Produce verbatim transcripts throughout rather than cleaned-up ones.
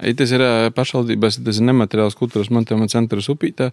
Tas ir pašvaldības, tas ir nemateriāls kultūras mantojuma centrs Upītē,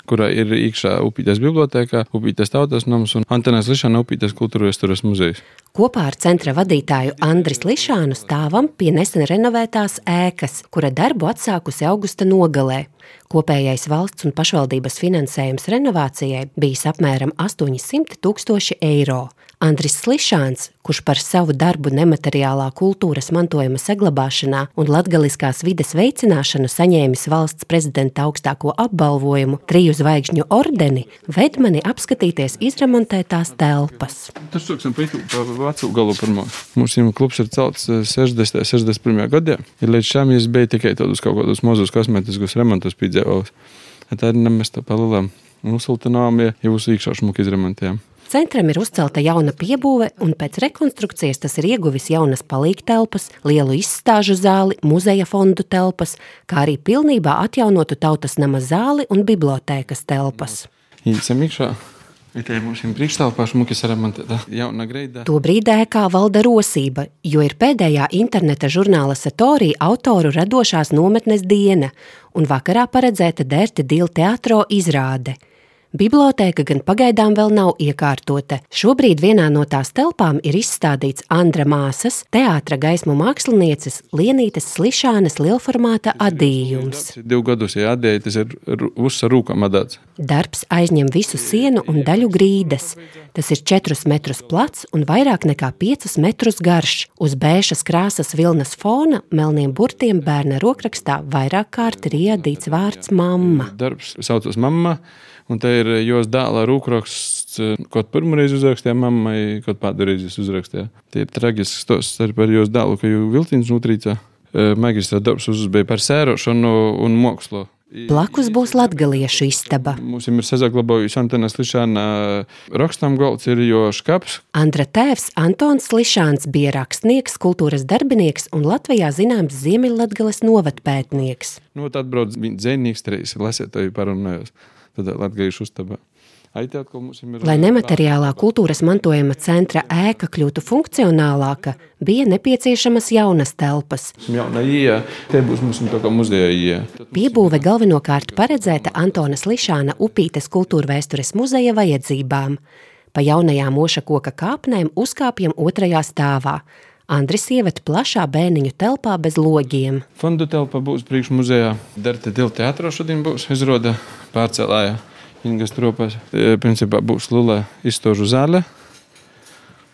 kurā ir iekšā Upītes bibliotēkā, Upītes tautas nams un Antonas Lišana Upītes kultūra vēstures muzejs. Kopā ar centra vadītāju Andris Lišānu stāvam pie nesen renovētās ēkas, kura darbu atsākusi augusta nogalē. Kopējais valsts un pašvaldības finansējums renovācijai bijis apmēram astoņsimt tūkstoši eiro. Andris Lišāns, kurš par savu darbu nemateriālā kultūras mantojuma saglabāšanā un latgaliskās vides veicināšanu saņēmis valsts prezidenta augstāko apbalvojumu triju zvaigžņu ordeni, ved mani apskatīties izremontētās telpas. Tas sāksim pa vecu galu pirmo. Mums klubs ir celts sešdesmit, sešdesmit pirmajā gadā. Ja līdz šām es biju tikai tādus kaut kādus mazus kosmetiskus remontus piedzīvojis. Tā ir nemēs tā palilām. Uzsiltinām, ja jūs īkšā šmuki izremontējām. Centram ir uzcelta jauna piebūve, un pēc rekonstrukcijas tas ir ieguvis jaunas palīgtelpas, lielu izstāžu zāli, muzeja fondu telpas, kā arī pilnībā atjaunotu tautas nama zāli un bibliotēkas telpas. Īcam iekšā. Itē mums ir priekštelpā šmuki saremontēta jauna greida. Tobrīd ēkā valda rosība, jo ir pēdējā interneta žurnāla Satorī autoru radošās nometnes diena, un vakarā paredzēta Derti Dīl teatro izrāde. Bibliotēka gan pagaidām vēl nav iekārtota. Šobrīd vienā no tās telpām ir izstādīts Andra māsas, teātra gaismu mākslinieces Lienītes Lišānes lielformāta adījums. Divu gadus, ja adēja, tas ir uzsa rūkam adāts. Darbs aizņem visu sienu un daļu grīdas. Tas ir četrus metrus plats un vairāk nekā piecus metrus garš. Uz bēšas krāsas vilnas fona melniem burtiem bērna rokrakstā vairāk kārt ir iedīts vārds mamma. Darbs saucas mamma. Un te ir jos dēla rūkraksts, kaut pirmoreiz uzrakstīja mammai, kaut pēdējais uzrakstīja. Tie ir tragisks stosts arī par jos dēlu, ka jau Viltīns nutrīca. Magistra darbs uzbēja par sērošanu un mākslu. Blakus būs latgaliešu istaba. Mums ir sazaglabājusi Antonas Lišāna rakstam galds, ir jo škaps. Andra tēvs Antons Lišāns bija rakstnieks, kultūras darbinieks un Latvijā zināms Ziemeļlatgales novatpētnieks. Nu, tad atbrauc viņa dzejnieks, treis lasētāju parunājos. Tad latgaliešu uztabā. Lai nemateriālā kultūras mantojuma centra ēka kļūtu funkcionālāka, bija nepieciešamas jaunas telpas. Jauna ieja, te būs mums tā kā muzeja ieja. Piebūve galvenokārt paredzēta Antonas Lišāna Upītes kultūrvēstures muzeja vajadzībām. Pa jaunajām oša koka kāpnēm uzkāpjam otrajā stāvā. Andris ieved plašā bērniņu telpā bez logiem. Fondu telpa būs priekš muzejā. Derti Dīl teatro šodien būs izroda pārcelāja. Ingas tropas. Principā būs liela izstāžu zāle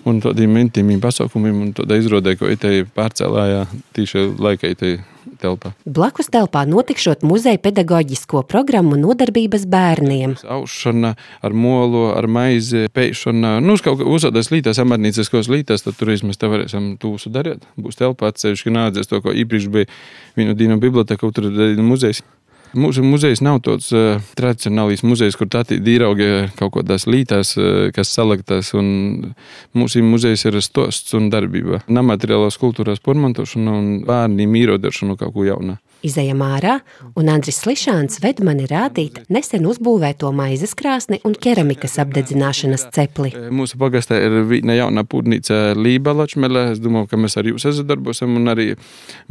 un tādiem intīmiem pasaukumiem un tāda izrodē, ko itei pārcelāja tīši laika itei telpā. Blakus telpā notikšot muzeja pedagoģisko programmu nodarbības bērniem. Aušana ar molu, ar maizi, peišana, nu, kaut kā uzsādās lītās, amarnīciskos lītās, tad tur mēs te varēsim tūsu darīt. Būs telpā atsevišķi nādzies to, ko īpriekš bija vienu dienu biblioteka, tur ir muzejs. Mūsu muzejs nav tāds uh, tradicionālīs muzejs, kur tātī dīraugi kaut kādās lītās, uh, kas saliktās, un mūsu muzejs ir stosts un darbība. Nemateriālās kultūrās pormantošana un bērniem īrodaršana kaut ko jaunā. Izejam ārā, un Andris Lišāns ved mani rādīt nesen uzbūvēto maizes krāsni un keramikas apdedzināšanas cepli. Mūsu pagastā ir viena jauna pūdnīca Lība Lačmele. Es domāju, ka mēs ar jūs sadarbosim, un arī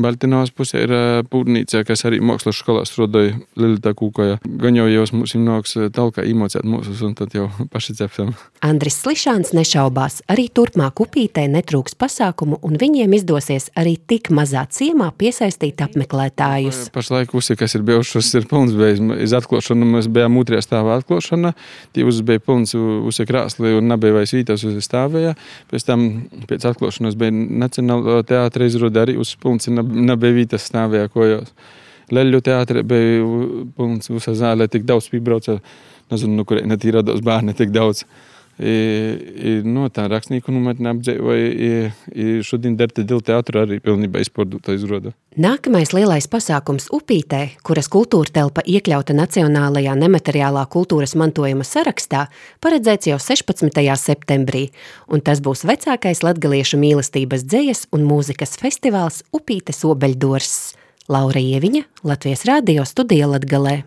Baltinovas pusē ir pūdnīca, kas arī mākslas skolā strādāja Lilita Kūkoja. Gan jau jau mums nāks talkā īmocēt mūsus, un tad jau paši cepsim. Andris Lišāns nešaubās, arī turpmāk Upītē netrūks pasākumu, un viņiem izdosies arī tik mazā ciemā piesaistīt apmeklētāju. Pašlaik usi, kas ir bijušas, ir pilns bez iz atklāšanu. Mēs bijām otrajā stāvā atklāšana. Tie uz bija pilns usi krāsli un nebija vairs vītās uz stāvēja. Pēc tam, pēc atklāšanas bija Nacionāla teātra izrode arī uz pilns, nebija vītās stāvēja kojos. Leļu teātra bija pilns usa zālē, tik daudz pībrauca. Nezinu, nu, kurēna tī rados bērni tik daudz. I, i, no tā rakstnieku nometne apdzīvoja, i, i šodien Derti Dīl teātra arī pilnībā izpārdota izroda. Nākamais lielais pasākums Upītē, kuras kultūra telpa iekļauta Nacionālajā nemateriālā kultūras mantojuma sarakstā, paredzēts jau sešpadsmitajā septembrī, un tas būs vecākais latgaliešu mīlestības dzejas un mūzikas festivāls Upītes obeļdors. Laura Ieviņa, Latvijas radio studija Latgalē.